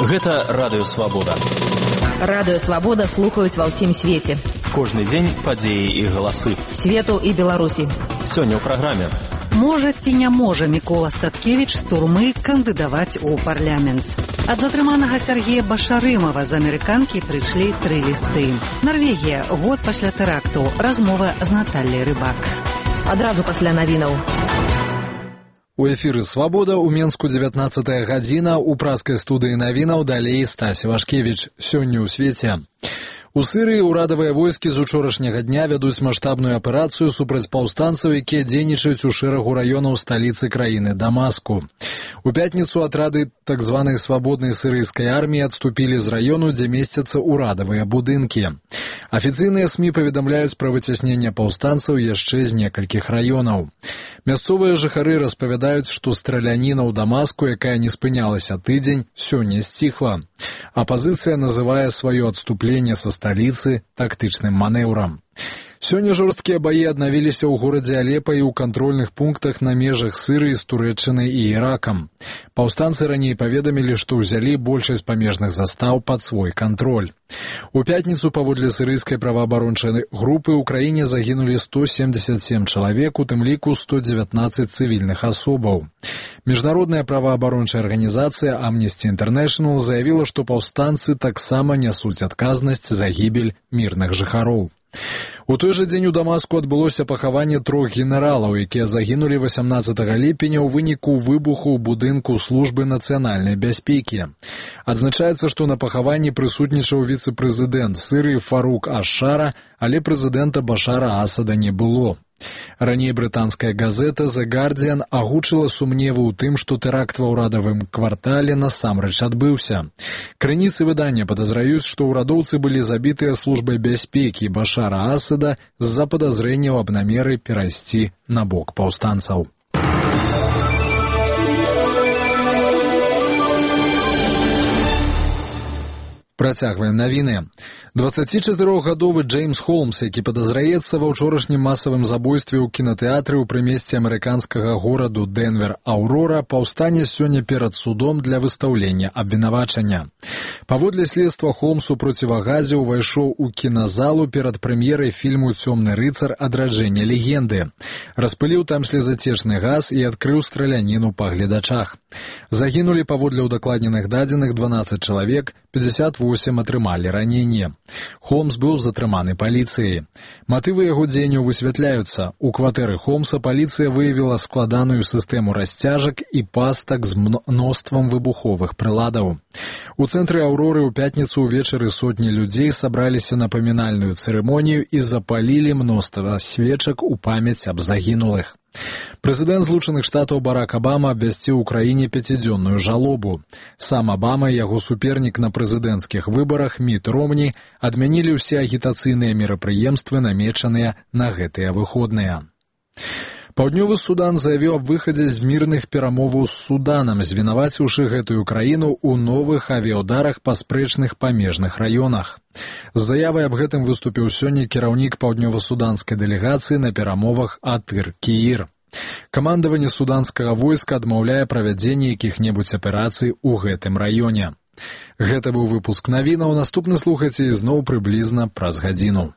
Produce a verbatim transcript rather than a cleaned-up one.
Гэта Радыё Свабода. Радыё Свабода слухаюць ва ўсім свеце. Кожны дзень падзеі і галасы. Свету і Беларусі. Сёння ў праграме. Можа ці не можа Мікола Статкевіч з турмы кандыдаваць у парламент? Ад затрыманага Сергея Башарымова з амерыканкі прыйшлі тры лісты. Нарвегія, год пасля тэракту. Размова з Натальяй Рыбак. Адразу пасля навінаў. У эфіры «Свабода» у Менску дзевятнаццатая гадзіна, у праскай студыі навінаў далей Стась Вашкевіч. Сёння ў свеце. У Сырыі ўрадавыя войскі з учорашняга дня вядуць маштабную аперацыю супраць паўстанцаў, якія дзейнічаюць у шэрагу раёнаў сталіцы краіны Дамаску. У пятніцу атрады так званай свабоднай сырыйскай арміі адступілі з раёну, дзе месцяцца ўрадавыя будынкі. Афіцыйныя СМІ паведамляюць пра выцясненне паўстанцаў яшчэ з некалькіх раёнаў. Мясцовыя жыхары распавядаюць, што страляніна ў Дамаску, якая не спынялася тыдзень, сёння сціхла. Апазіцыя называе сваё адступленне са сталіцы тактычным манеўрам. Сёння жорсткія баі аднавіліся ў горадзе Алепа і ў кантрольных пунктах на межах Сырыі з Турэччынай і Іракам. Паўстанцы раней паведамілі, што ўзялі большасць памежных застаў пад свой кантроль. У пятніцу паводле сырыйскай праваабарончай групы ў краіне загінулі сто семьдесят семь чалавек, у тым ліку сто дзевятнаццаць цывільных асобаў. Міжнародная праваабарончая арганізацыя Amnesty International заявіла, што паўстанцы таксама нясуць адказнасць за гібель мірных жыхароў. У той жа дзень у Дамаску адбылося пахаванне трох генералаў, якія загінулі васямнаццатага ліпеня ў выніку выбуху ў будынку службы нацыянальнай бяспекі. Адзначаецца, што на пахаванні прысутнічаў віцэ-прэзідэнт Сырыі Фарук Аш-Шара, але прэзідэнта Башара Асада не было. Раней брытанская газета The Guardian агучыла сумневы ў тым, што тэракт ва ўрадавым квартале насамрэч адбыўся. Крыніцы выдання падазраюць, што ўрадоўцы былі забітыя службай бяспекі Башара Асада з-за падазрэнняў аб намеры перайсці на бок паўстанцаў. Працягваем навіны. дваццацічатырохгадовы Джеймс Холмс, які падазраецца ва ўчорашнім масавым забойстве ў кінатэатры ў прымесці амерыканскага гораду Дэнвер Аўрора, паўстане сёння перад судом для выстаўлення абвінавачання. Паводле следства, Холмс у процівагазе ўвайшоў у кіназалу перад прэм'ерай фільму «Цёмны рыцар. Адраджэнне легенды». Распыліў там слезацечны газ і адкрыў страляніну па гледачах. Загінулі паводле ўдакладненых дадзеных дванаццаць чалавек, пятьдесят восемь атрымалі раненне. Холмс быў затрыманы паліцыяй. Матывы яго дзеянняў высвятляюцца. У кватэры Холмса паліцыя выявіла складаную сістэму расцяжак і пастак з мноствам выбуховых прыладаў. У цэнтры Аўроры ў пятніцу ўвечары сотні людзей сабраліся на памінальную цырымонію і запалілі мноства свечак у памяць аб загінулых. Прэзідэнт Злучаных Штатаў Барак Абама абвясціў у краіне пяцідзённую жалобу. Сам Абама і яго супернік на прэзідэнцкіх выбарах Міт Ромні адмянілі ўсе агітацыйныя мерапрыемствы, намечаныя на гэтыя выходныя. Паўднёвы Судан заявіў аб выхадзе з мірных перамоваў з Суданам, звінаваціўшы гэтую краіну ў новых авіяўдарах па спрэчных памежных раёнах. З заявай аб гэтым выступіў сёння кіраўнік паўднёва-суданскай дэлегацыі на перамовах Атыр Кіір. Камандаванне суданскага войска адмаўляе правядзенне якіх-небудзь аперацый у гэтым раёне. Гэта быў выпуск навінаў, наступны слухайце ізноў прыблізна праз гадзіну.